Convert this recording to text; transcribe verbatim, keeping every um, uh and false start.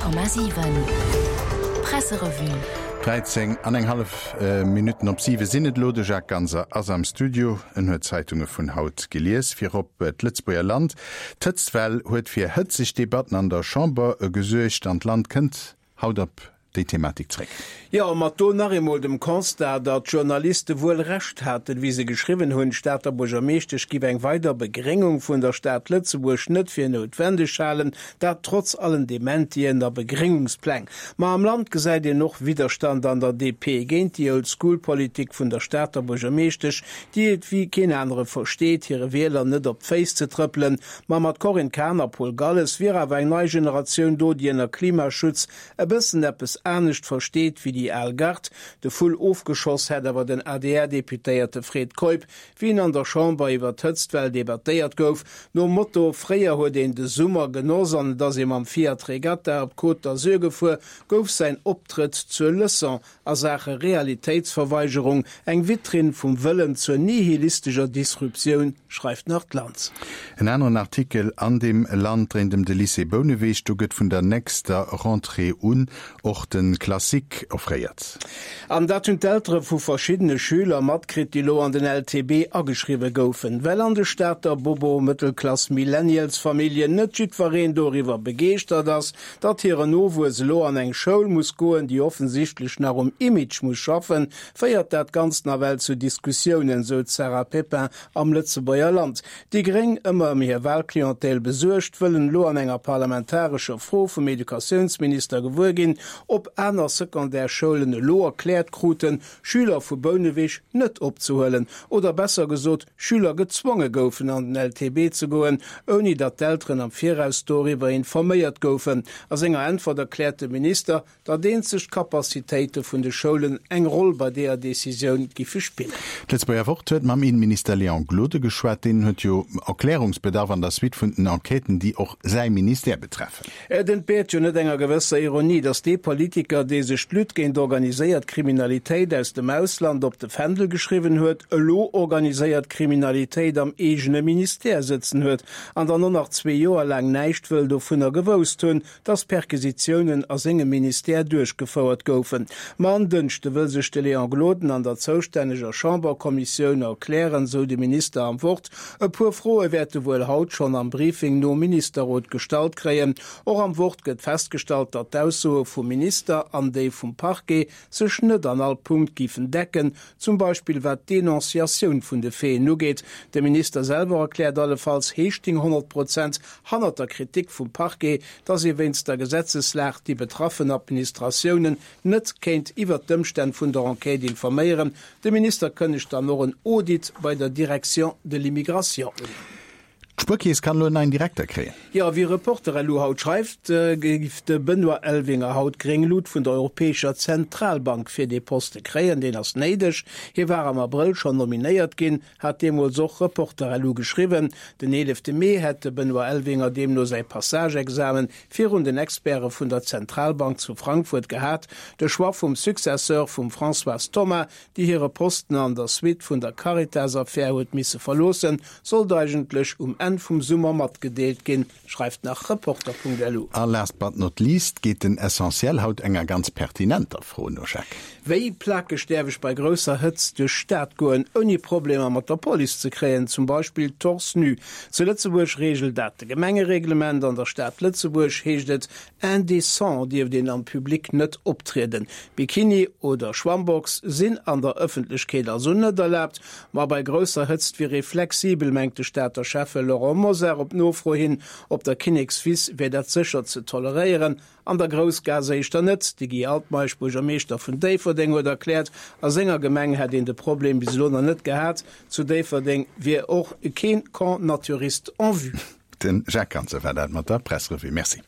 Komma siwen Presserevue. Dräizéng an eng hallef Minutten op siwe sinn et elo. De Jacques Ganser ass am Studio. En huet d'Zeitunge vun haut gelies. Virop d'Lëtzebuerger Land. D'Hëtztwell huet fir hëtzeg Debatten an der Chamber gesuergt an d'Land kënnt haut op déi Thematik zréck. Jo, mat do nach eemol dem Constat, datt d'Journaliste wuel Recht haten, wéi se geschriwwen hunn, d'Stater Buergermeeschtesch giff eng weider Begréngung vun der Stad Lëtzebuerg net fir noutwendeg halen, dat trotz allen Dementien a Begréngungspläng. Ma am Land gesäit een och Widderstand an der D P géint déi Old-School-Politik vun der Stater Buergermeeschtesch, déi et wéi keen anere versteet, hire Wieler net op d'Féiss ze trëppelen. Ma mat Corinne Cahen a Paul Galles wier awer eng nei Generatioun do, déi ënner Klimaschutz e bëssen eppes anescht versteet wéi déi al Gard. De Vull ofgeschoss hätt awer den A D R-Deputéierte Fred Keup, wéi en an der Chamber iwwer d'Hëtztwell debattéiert gouf. Nom Motto fréier huet een de Summer genoss an et ass ee mam Fiat Regatta op d'Côte d'Azur gefuer, gouf säin Optrëtt zur Leçon a Saache Realitéitsverweigerung, eng Vitrinn vum Wëllen zur nihilistescher Disruptioun, schreift nach d'Land. En aneren Artikel an dem Land dréint ëm de Lycée Bouneweg. Do gëtt vun der nächster Rentrée un och de Classique offréiert. An dat hunn d'Eltere vu verschiddene Schüler matkritt, déi lo an den L T B ageschriwwe goufen. Well an de Stater Bobo-Mëttelklass-Millennials-Familljen net jiddwereen doriwwer begeeschtert ass, datt hiren Nowuess elo an eng Schoul muss goen, déi offensichtlech nach um Image muss schaffen, féiert dat Ganzt nawell zu Diskussiounen, sou d'Sarah Pepin am Lëtzebuerger Land. Déi Gréng, ëmmer ëm hir Walclientèle besuergt, wëllen elo an enger parlamentarescher Fro vum Educatiounsminister gewuer ginn, ob aner Secondaire-Schoulen elo erkläert kruten, Schüler vu Bouneweg net opzehuelen, oder besser gesot, Schüler gezwonge goufen, an den L T B ze goen, ouni datt d'Elteren am Viraus doriwwer informéiert goufen. A senger Äntwert erkläert de Minister, datt eenzeg d'Capacitéite vun de Schoulen eng Roll bei deeër Decisioun giffe spillen. D'Lëtzebuerger Wort huet mam Inneminister Léon Gloden geschwat. Deen huet jo Erklärungsbedarf an der Suite vun den Enquêten, déi och säi Ministère betreffen. Et entbéiert jo net enger gewësser Ironie, datt dee Politiker, dee sech d'Lutte géint organiséiert Kriminalitéit aus dem Ausland op de Fändel geschriwwen huet, elo organiséiert Kriminalitéit am eegene Ministère sëtzen huet an dann och nach zwee Joer laang näischt wëll dovunner gewousst hunn, datt Perquisitiounen a sengem Ministère duerchgefouert goufen. Ma en Dënschde wëll sech de Léon Gloden an der zoustänneger Chamberkommissioun erklären, sou de Minister am Wort. E puer Froe wäert e wuel haut schonn am Briefing nom Ministerrot gestallt kréien. Och am Wort gëtt festgestallt, datt d'Aussoe vum Minister an déi vum Parquet sech net an all Punkt giffen decken, zum Beispill wat d'Denonciatioun vun de Faiten ugeet. De Minister selwer erkläert allefalls, hie sting honnert Prozent hannert der Kritik vum Parquet, datt ee wéinst der Gesetzeslag déi betraffen Administratiounen net kéint iwwer d'Ëmstänn vun der Enquête informéieren. De Minister kënnegt dann och en Audit bei der Direction de l'immigration un. D'Spuerkeess kann elo en neien Direkter kréien. Jo, wéi Reporter punkt lu haut schreift, géif de Benoît Elvinger haut gréng Lut vun der Europäescher Zentralbank fir dee Poste kréien. Deen ass néideg. Hie war am Abrëll schonn nominéiert ginn, hat deemools och Reporter punkt lu geschriwwen. Den eelefte Mee hätt de Benoît Elvinger deemno säi Passage-Examen virun den Experte vun der Zentralbank zu Frankfurt gehat. De Choix vum Successeur vum Françoise Thoma, déi hire Posten an der Suite vun der Caritas-Affär huet misse verloossen, sollt eigentlech um Enn vum Summer matgedeelt ginn, schreift nach Reporter punkt lu. A last but not least geet den Essentiel haut enger ganz pertinenter Fro no, Jacques. Wéi plakeg däerf ech bei grousser Hëtzt duerch d'Stad goen, ouni Problemer mat der Police ze kréien, zum Beispill torse nu? Zu Lëtzebuerg reegelt dat de Gemengereglement. An der Stad Lëtzebuerg heescht et, indécent dierft een am Public net optrieden. Bikini oder Schwammbox sinn an der Ëffentlechkeet also net erlaabt. Ma bei grousser Hëtzt wier ee flexibel, mengt de Stater Schäffe Laurent Mosar op Nofro hin. Op der Kinnekswiss wier dat sécher ze toleréieren, an der Groussgaass éischter net. De Guy Altmeisch, Buergermeeschter vun Déifferdeng, huet erkläert, a senger Gemeng hätt een de Problem bis elo nach net gehat. Zu Déifferdeng wier och keen Camp naturiste en vue. Den Jacques Ganser war dat mat der Presserevue. Merci.